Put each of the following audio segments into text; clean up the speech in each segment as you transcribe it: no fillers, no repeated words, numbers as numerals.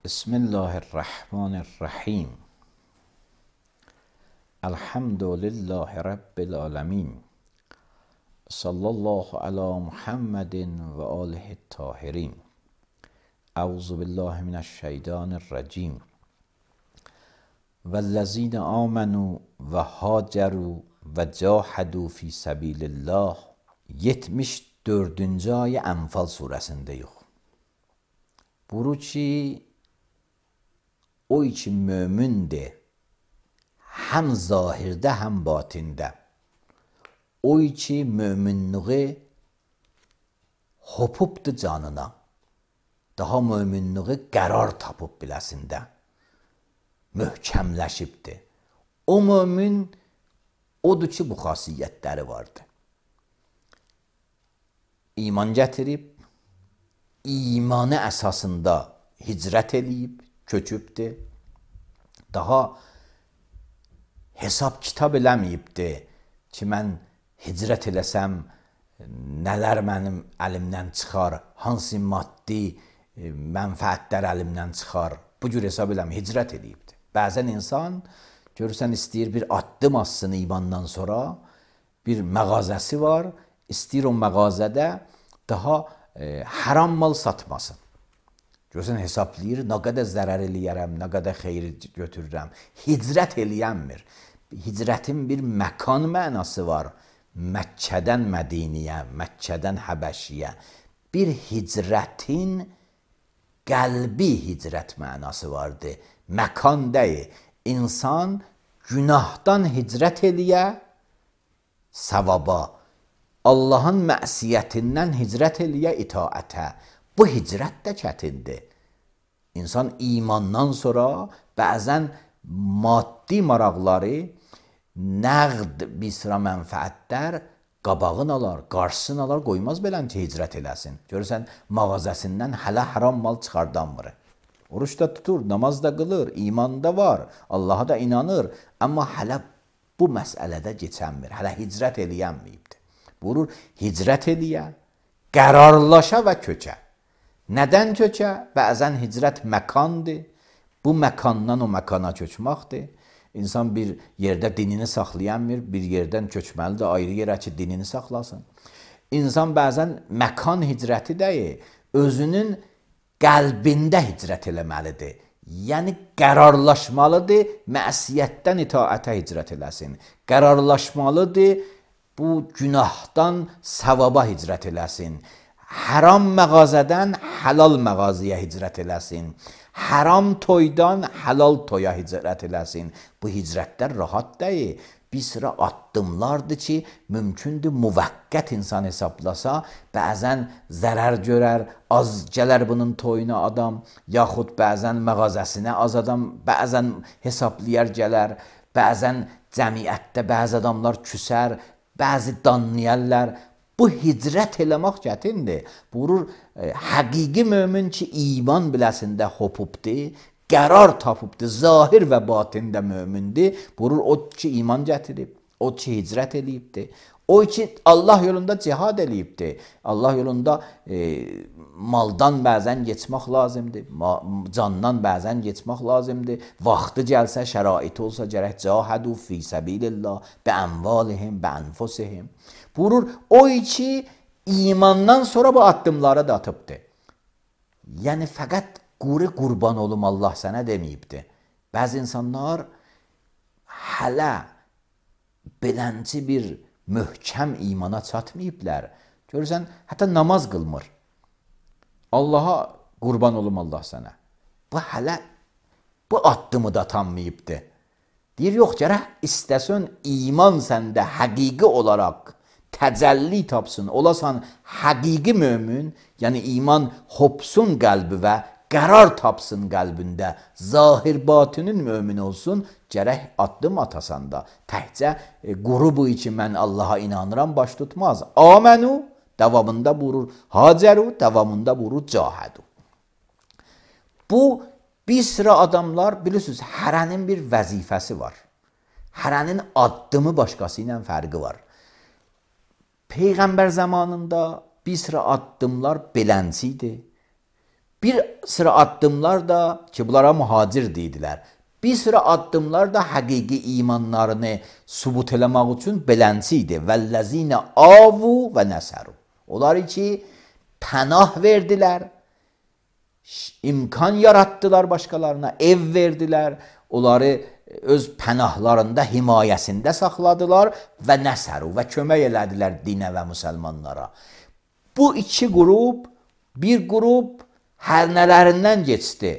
Bismillahirrahmanirrahim. Elhamdülillahi Rabbil alemin. Sallallahu ala Muhammedin ve alihi tahirin. Euzu billahi mineşşeytanirracim. Vellezine amenu ve haceru ve cahadu fi sabilillah. 74. ayı Enfal suresinde. Buyurur ki o için mümindir. Hem zahirde hem batinde. O için müminliği hopubdu canına. Daha müminliği qərar tapıb biləsində. Möhkəmləşibdi. O mümin odur ki, bu xasiyyətləri vardı. İman gətirib, imanı əsasında hicrət eləyib, köçübdür. Daha hesab kitab eləməyibdi ki, mən hicrət eləsəm, nələr mənim əlimdən çıxar, hansı maddi mənfəətlər əlimdən çıxar. Bu cür hesab eləməyib, hicrət eləyibdi. Bəzən insan görürsən istəyir bir addım atsın imandan sonra, bir məğazəsi var, istəyir o məğazədə daha haram mal satmasın. Görürsən hesablayır, nə qədər zərər eləyərəm, nə qədər xeyir götürürəm. Hicrət eləyənmir. Hicrətin bir məkan mənası var. Məkkədən Mədiniyə, Məkkədən Həbəşiyə. Bir hicrətin qəlbi hicrət mənası vardır. Məkan deyil. İnsan günahdan hicrət eləyə, savaba. Allahın məsiyyətindən hicrət eləyə, itaətə. Bu hicrət də çətindir. İnsan imandan sonra bəzən maddi maraqları, nəqd bir sıra mənfəətlər qabağını alar, qarşısını alar, qoymaz belən ki, hicrət eləsin. Görürsən, mağazəsindən hələ haram mal çıxardanmır. Oruç da tutur, namaz da qılır, iman da var, Allaha da inanır. Amma hələ bu məsələdə keçənmir, hələ hicrət eləyənməyibdir. Buyurur, hicrət eləyə, qərarlaşa və köçə. Nədən köçə? Bəzən hicrət məkandır. Bu məkandan o məkana köçməkdir. İnsan bir yerdə dinini saxlayanmır, bir yerdən köçməlidir, ayrı yerə ki, dinini saxlasın. İnsan bəzən məkan hicrəti deyil, özünün qəlbində hicrət eləməlidir. Yəni, qərarlaşmalıdır, məsiyyətdən itaətə hicrət eləsin. Qərarlaşmalıdır, bu günahdan savaba hicrət eləsin. Haram məğazədən halal məğazıya hicrət eləsin. Haram toydan halal toya hicrət eləsin. Bu hicrətlər rahat deyil. Bir sıra addımlardır ki, mümkündür müvəqqət insan hesablasa, bəzən zərər görər, az gələr bunun toyuna adam, yaxud bəzən məğazəsinə az adam, bəzən hesablayar gələr, bəzən cəmiyyətdə bəzi adamlar küsər, bəzi danlayarlar. Bu hicrət eləmək çətindir. Buyurur, həqiqi mömin ki, iman biləsində hopubdur, qərar tapıbdır, zahir və batində mömindir. Buyurur, o ki, iman gətirib, o ki, hicrət eləyibdir. O ki, Allah yolunda cihad eləyibdir. Allah yolunda maldan bəzən geçmək lazımdır, candan bəzən geçmək lazımdır. Vaxtı gəlsə, şəraiti olsa gərək cahadu fi səbilillah, bə ənvalihim, bə ənfusihim. Buyurur, o ki, imandan sonra bu addımları da atıbdır. Yəni, fəqət qurban olum Allah sənə deməyibdir. Bəzi insanlar hələ belənci bir möhkəm imana çatmayıblər. Görürsən, hətta namaz qılmır. Allaha qurban olum Allah sənə. Bu hələ bu addımı da tanmayıbdır. Deyir, yox, gərək istəsən iman səndə həqiqi olaraq təcəlli tapsın, olasan həqiqi mömin, yəni iman hopsun qəlbi və qərar tapsın qəlbində, zahir batinin mömin olsun, gərək addım atasan da. Təhcə qrubu için mən Allaha inanıram, baş tutmaz. Amenü, davamında buyurur, haceru, davamında buyurur, cahadu. Bu, bir sıra adamlar, bilirsiniz, hərənin bir vəzifəsi var. Hərənin addımı başqası ilə fərqi var. Peyğəmbər zamanında bir sıra addımlar belənci idi. Bir sıra addımlar da ki bunlara muhacir deyidilər. Bir sıra addımlar da həqiqi imanlarını sübut eləmək üçün belənçi idi. Vəllezine avu və nəsəru. Onlar ki pənah verdilər, imkan yarattılar başqalarına, ev verdilər, onları öz pənahlarında, himayəsində saxladılar və nəsəru və kömək elədilər dinə və müsəlmanlara. Bu iki qrup, bir qrup hər nələrindən geçdi.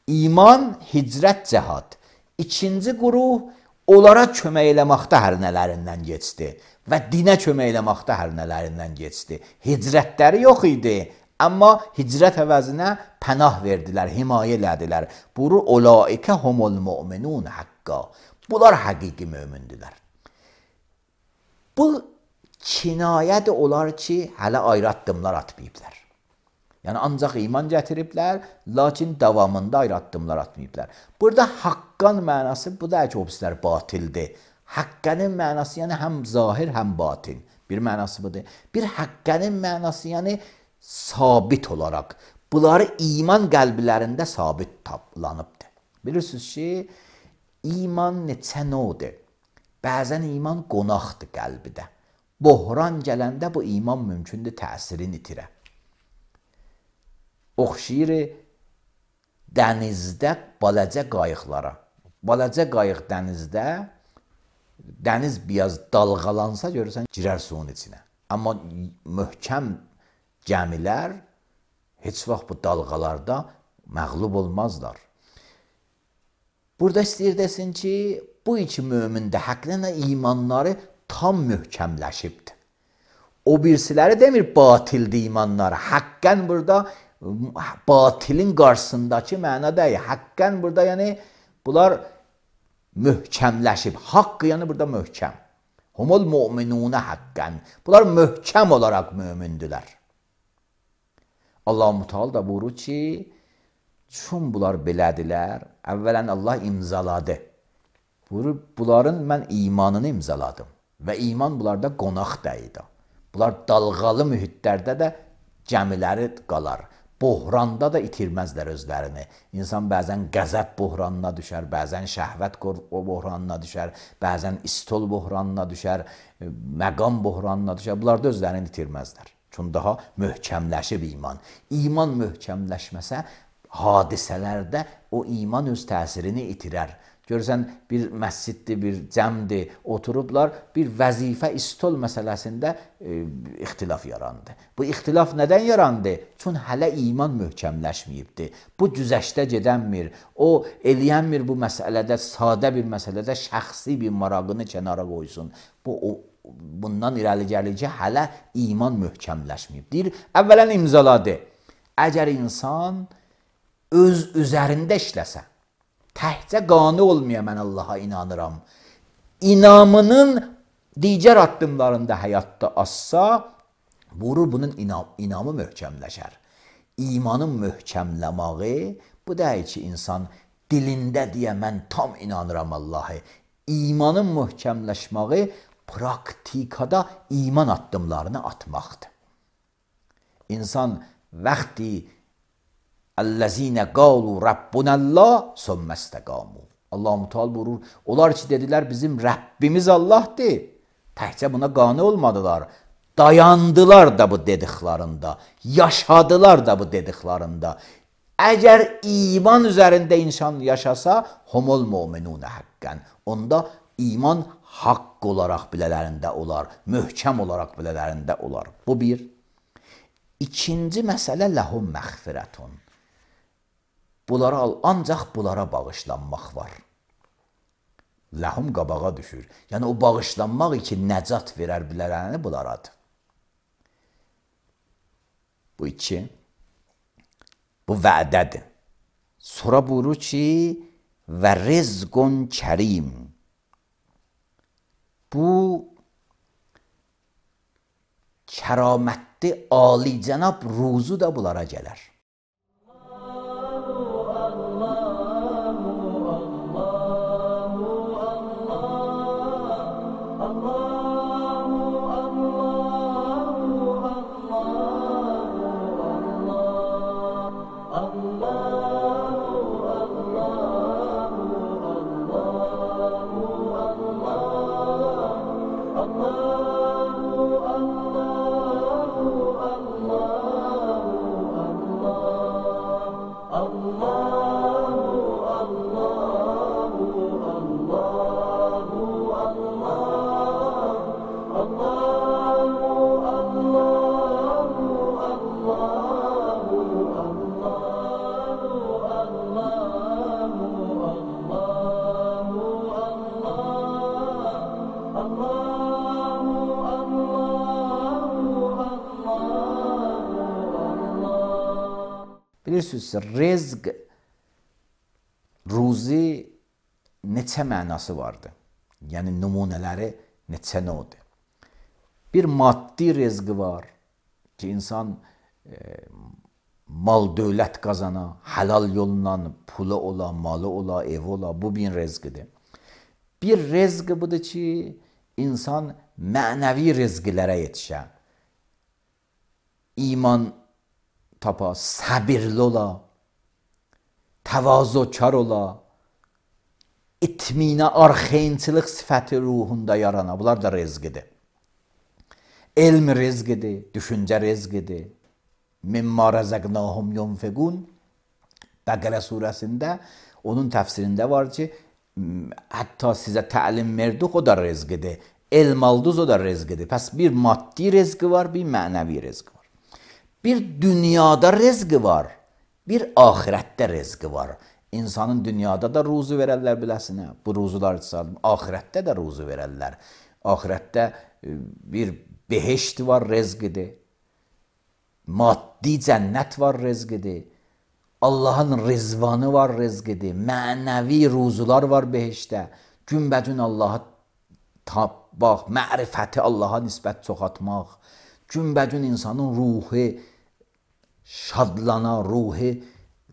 İman, hicrət, cəhad. İkinci qrup onlara kömək eləməkdə hər nələrindən geçdi və dinə kömək eləməkdə hər nələrindən geçdi. Hicrətləri yox idi, amma hicrət əvəzinə pənah verdilər, himayə elədilər. Buru olaikə humul mu'minun haqqa. Bunlar həqiqi mömündülər. Bu kinayədir olar ki, hələ ayrı addımlar atmayıblar. Yəni ancaq iman gətiriblər, lakin davamında ayrı addımlar atmayıblar. Burada haqqan mənası, bu da ki, obslər batildir. Haqqənin mənası yəni həm zahir, həm batin. Bir mənası budur. Bir haqqənin mənası yəni sabit olaraq. Bunları iman qəlblərində sabit taplanıbdır. Bilirsiniz ki, iman neçə növdür? Bəzən iman qonaqdır qəlbidə. Bohran gələndə bu iman mümkündür təsirini itirə. Oxşayır dənizdə balaca qayıqlara. Balaca qayıq dənizdə, dəniz biraz dalğalansa görürsən, girər suyun içinə. Amma möhkəm gəmilər heç vaxt bu dalğalarda məğlub olmazlar. Burada istəyir desin ki, bu iki mömində həqiqətən imanları tam möhkəmləşibdir. O birisiləri demir batildir imanları. Haqqən burada batilin qarşısındakı məna deyil. Haqqən burada yəni bunlar möhkəmləşib. Haqq yəni burada möhkəm. Humul mu'minuna haqqən. Bunlar möhkəm olaraq mömündülər. Allah-u Teala da buyurur ki, çün bunlar belədilər, əvvələn Allah imzaladı. Buyurur, bunların mən imanını imzaladım. Və iman bunlarda qonaq deyildi. Bunlar dalğalı mühitlərdə də gəmiləri qalar. Bohranda da itirməzlər özlərini. İnsan bəzən qəzəb bohranına düşər, bəzən şəhvət bohranına düşər, bəzən istol bohranına düşər, məqam bohranına düşər. Bunlar da özlərini itirməzlər. Çünki daha möhkəmləşib iman. İman möhkəmləşməsə, hadisələrdə o iman öz təsirini itirər. Görürsən, bir məsciddir, bir cəmdir, oturublar, bir vəzifə istol məsələsində ixtilaf yarandı. Bu ixtilaf nədən yarandı? Çünki hələ iman möhkəmləşməyibdir. Bu güzəştə gedənmir, o eləyənmir bu məsələdə, sadə bir məsələdə şəxsi bir marağını kənara qoysun. Bundan irəli gəlir ki, hələ iman möhkəmləşməyib. Deyir, əvvələn imzaladı. Əgər insan öz üzərində işləsə, təhcə qanı olmaya mən Allaha inanıram. İnamının digər addımlarında həyatda azsa, vurur bunun inamı möhkəmləşər. İmanın möhkəmləməyi, bu deyil ki, insan dilində deyə mən tam inanıram Allah'a. İmanın möhkəmləşməyi praktikada iman addımlarını atmaqdır. İnsan vaxti Əllezine qalu Rabbunallah summəstəqamu. Allah-u Teala buyurur, onlar ki dedilər bizim Rəbbimiz Allah'dır. Təhcə buna qane olmadılar. Dayandılar da bu dediklərində, yaşadılar da bu dediklərində. Əgər iman üzərində insan yaşasa, humul mu'minuna haqqan. Onda iman haqq olaraq bilələrində olar, möhkəm olaraq bilələrində olar. Bu bir. İkinci məsələ ləhum məğfirətun. Bunlara ancaq bunlara bağışlanmaq var. Ləhum qabağa düşür. Yəni o bağışlanmaq üçün nəcat verər bilərəni bunlaradır. Bu iki. Bu vədədir. Sonra buyurur ki, və rizqun kərim. Bu kəramətli, alicənab ruzu da bunlara gələr. Bilirsiniz, rezq, ruzi neçə mənası vardır. Yəni nümunələri neçə növdür. Bir maddi rezqi var ki, insan mal dövlət qazana, halal yolla pulu ola, malı ola, evi ola, bu bir rezqidir. Bir rezqi budur ki, insan mənəvi rezqilərə yetişə, iman tapa, səbirli ola, təvazökar ola, itminə, arxayınçılıq sifəti ruhunda yarana, bunlar da rezqidir. Elm rezqidir, düşüncə rezqidir. Mimma rəzəqnahum yunfiqun. Bəqərə surəsində onun təfsirində var ki, hətta sizə təlim verdik, o da rezqidir. Elm aldınız, o da rezqidir. Pəs bir maddi rezqi var, bir mənəvi rezqi var. Bir dünyada rezqi var, bir ahirətdə rezqi var. İnsanın dünyada da ruzu verərlər biləsinə. Bu ruzular ahirətdə də ruzu verərlər. Ahirətdə bir beheşt var, rezqidir. Maddi cənnət var, rezqidir. Allahın rizvanı var, rezqidir. Mənəvi ruzular var beheştdə. Günbəcün Allahı tapmaq, mərifəti Allaha nisbət çoxatmaq. Günbəcün insanın ruhu şadlana, ruhu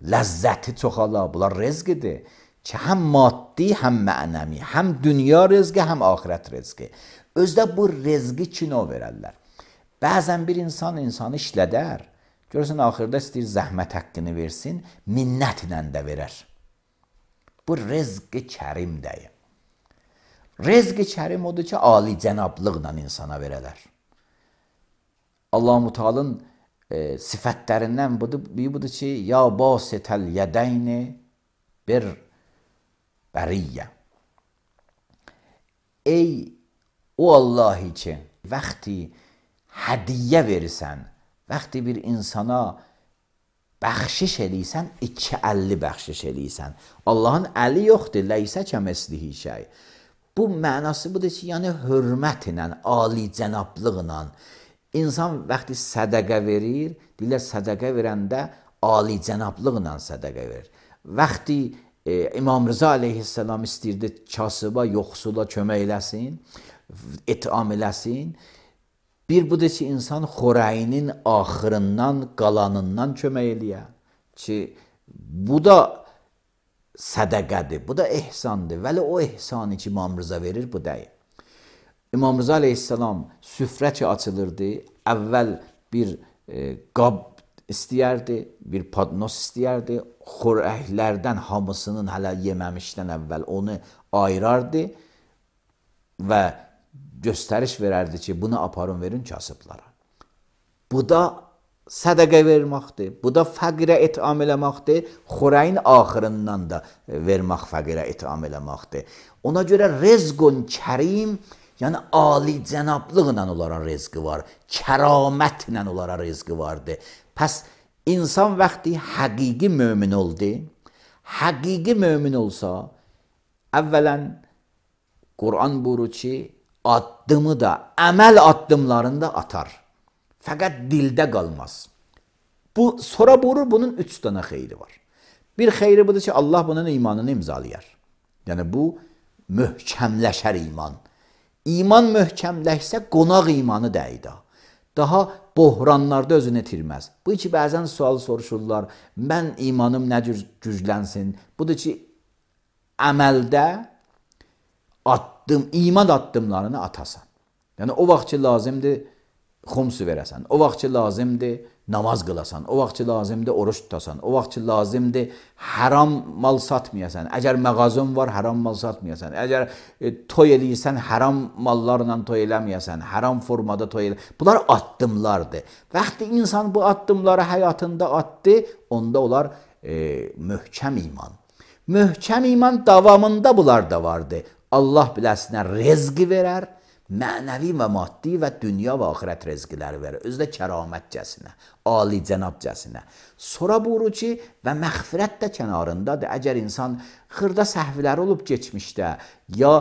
ləzzəti çoxala. Bunlar rezqidir ki, həm maddi, həm mənəvi, həm dünya rezqi, həm ahirət rezqi. Özdə bu rezqi kino verərlər. Bəzən bir insanı işlədər, görürsən, axırda istəyir zəhmət haqqını versin, minnətlə də verər. Bu rezqi kərim deyir. Rezqi kərim odur ki, ali cənablıqla insana verələr. Allah-u Teala'nın sifətlərindən budur ki, ya basitəl yədəyni bir bəriyyə. Ey o Allahi ki, vaxti hədiyyə verirsən, vaxti bir insana bəxşiş eləysən, 250 bəxşiş eləysən. Allahın əli yoxdur, ləysə kəməslihi şey. Bu mənası budur ki, yəni hörmətlə, ali cənablıqla, İnsan vaxtı sədəqə verir, deyirlər sədəqə verəndə ali cənablıqla sədəqə verir. Vaxtı İmam Rıza aleyhisselam istəyirdi kasıba, yoxsula kömək eləsin, itam eləsin. Bir budur ki, insan xorəyinin axırından, qalanından kömək eləyə. Ki, bu da sədəqədir, bu da ehsandır. Vəli o ehsanı ki, İmam Rıza verir, bu deyil. İmam Rıza aleyhisselam süfrə ki açılırdı, əvvəl bir qab istəyərdi, bir padnos istəyərdi, xorəklərdən hamısının hələ yeməmişdən əvvəl onu ayırardı və göstəriş verərdi ki, bunu aparın verin kasıblara. Bu da sədəqə verməkdir, bu da fəqirə itam eləməkdir, xorəyin axırından da vermək fəqirə itam eləməkdir. Ona görə rezqun kərim, yəni ali cənablıqla onlara rezqi var, kəramətlə onlara rezqi vardır. Pəs insan vaxtı həqiqi mömin oldu, həqiqi mömin olsa, əvvələn Quran buyurur ki, addımı da, əməl addımlarını da atar. Fəqət dildə qalmaz. Sonra buyurur, bunun 3 dənə xeyri var. Bir xeyri budur ki, Allah bunun imanını imzalayar. Yəni bu möhkəmləşər iman. İman möhkəmləşsə qonaq imanı dəydə. Daha bohranlarda özünü itirməz. Bu ki, bəzən sual soruşurlar, mən imanım nə cür güclənsin? Budur ki, əməldə iman addımlarını atasan. Yəni, o vaxt ki, lazımdır xumsu verəsən, o vaxt ki, lazımdır namaz qılasan, o vaxt ki, lazımdır oruç tutasan, o vaxt ki, lazımdır haram mal satmayasan, əgər məğazın var, haram mal satmayasan, əgər toy eləyirsən, haram mallarla toy eləməyəsən, haram formada toy eləməyəsən, bunlar addımlardır. Vaxtı insan bu addımları həyatında atdı, onda onlar möhkəm iman. Möhkəm iman davamında bunlar da vardı. Allah biləsinə rezqi verər, mənəvi və maddi və dünya və axirət rezqiləri verir. Özü də kəramətcəsinə, alicənabcəsinə. Sonra buyurur ki, və məğfirət də kənarındadır. Əgər insan xırda səhvləri olub geçmişdə ya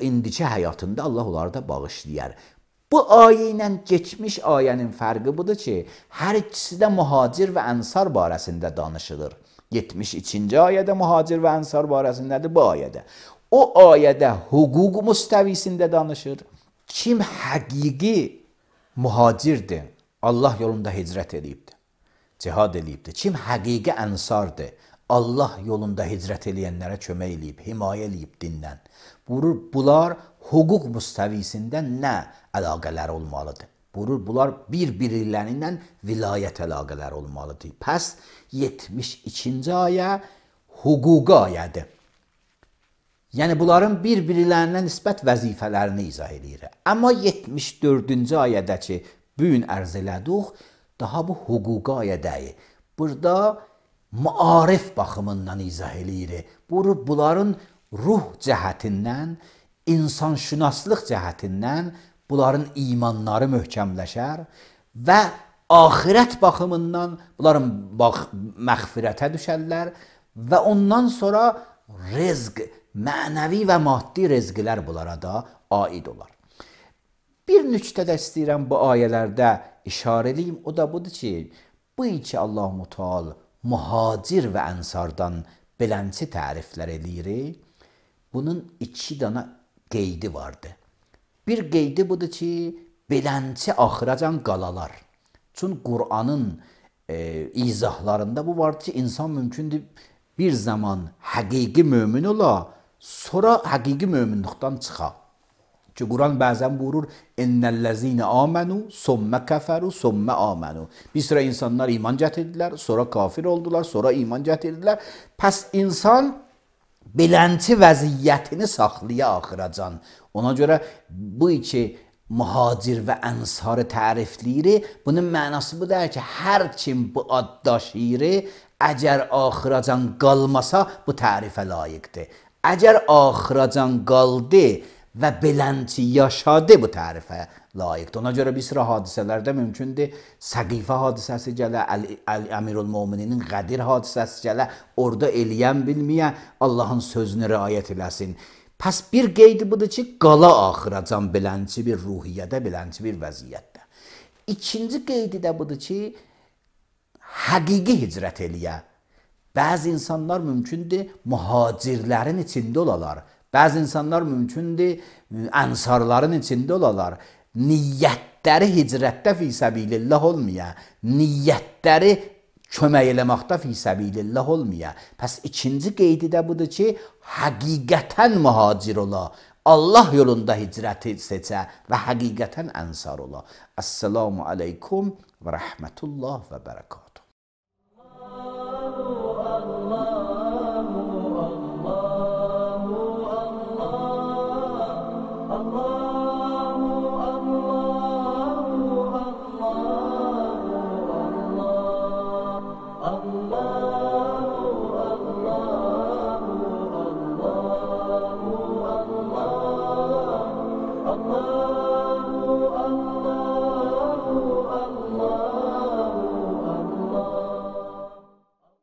indiki həyatında Allah onları da bağışlayar. Bu ayə ilə geçmiş ayənin fərqi budur ki, hər ikisi də mühacir və ənsar barəsində danışılır. 72-ci ayədə mühacir və ənsar barəsindədir bu ayədə. O ayədə hüquq müstəvisində danışır. Kim həqiqi mühacirdir, Allah yolunda hicrət edibdir, cihad edibdir. Kim həqiqi ənsardır, Allah yolunda hicrət edənlərə kömək edib, himayə edib dindən. Buyurur, bunlar hüquq müstəvisində nə əlaqələr olmalıdır? Buyurur, bunlar bir-birlərindən vilayət əlaqələri olmalıdır. Pəs 72-ci ayə hüquq ayədir. Yəni, bunların bir-birlərinə nisbət vəzifələrini izah edir. Amma 74-cü ayədə ki, bu gün ərz elədik, daha bu hüquq ayədəyi. Burada maarif baxımından izah edir. Bunların ruh cəhətindən, insanşünaslıq cəhətindən bunların imanları möhkəmləşər və axirət baxımından bunların məğfirətə düşərlər və ondan sonra rezq, mənəvi və maddi rezqlər bunlara da aid olar. Bir nüktə də istəyirəm bu ayələrdə işarə edeyim, o da budur ki, bu iki Allah-u Teala mühacir və ənsardan belənçi təriflər edir. Bunun iki dana qeydi vardı. Bir qeydi budur ki, belənçi axıracan qalalar. Çünki Qur'anın izahlarında bu vardır ki, insan mümkündür bir zaman həqiqi mömin ola, sonra həqiqi möminlikdən çıxa. Ki Quran bəzən buyurur, "İnnellezine amenu, somme keferu, somme amenu." Bir sıra insanlar iman gətirdilər, sonra kafir oldular, sonra iman gətirdilər. Pəs insan belənçi vəziyyətini saxlaya axıracan. Ona görə bu iki mühacir və ənsarı tərifləyir. Bunun mənası bu deyir ki, hər kim bu ad daşıyır, əgər axıracan qalmasa bu tərifə layiqdir. Əgər axıracan qaldı və belənçi yaşadı bu tərifə layiqdir. Ona görə bir sıra hadisələrdə mümkündür. Səqifə hadisəsi gələ, Əmirül-Mömininin Qədir hadisəsi gələ, orada eləyən bilməyə Allahın sözünü riayət eləsin. Pəs bir qeydi budur ki, qala axıracan belənçi bir ruhiyyədə, belənçi bir vəziyyətdə. İkinci qeydi də budur ki, həqiqi hicrət eləyə. Bəzi insanlar mümkündür mühacirlərin içində olalar. Bəzi insanlar mümkündür ənsarların içində olalar. Niyyətləri hicrətdə fi səbilillah olmaya, niyyətləri kömək eləməkdə fi səbilillah olmaya. Pəs ikinci qeydi də budur ki, həqiqətən mühacir ola, Allah yolunda hicrəti seçə və həqiqətən ənsar ola. Əssalamu aleykum və rəhmətullah və bərəkatuhu. Allah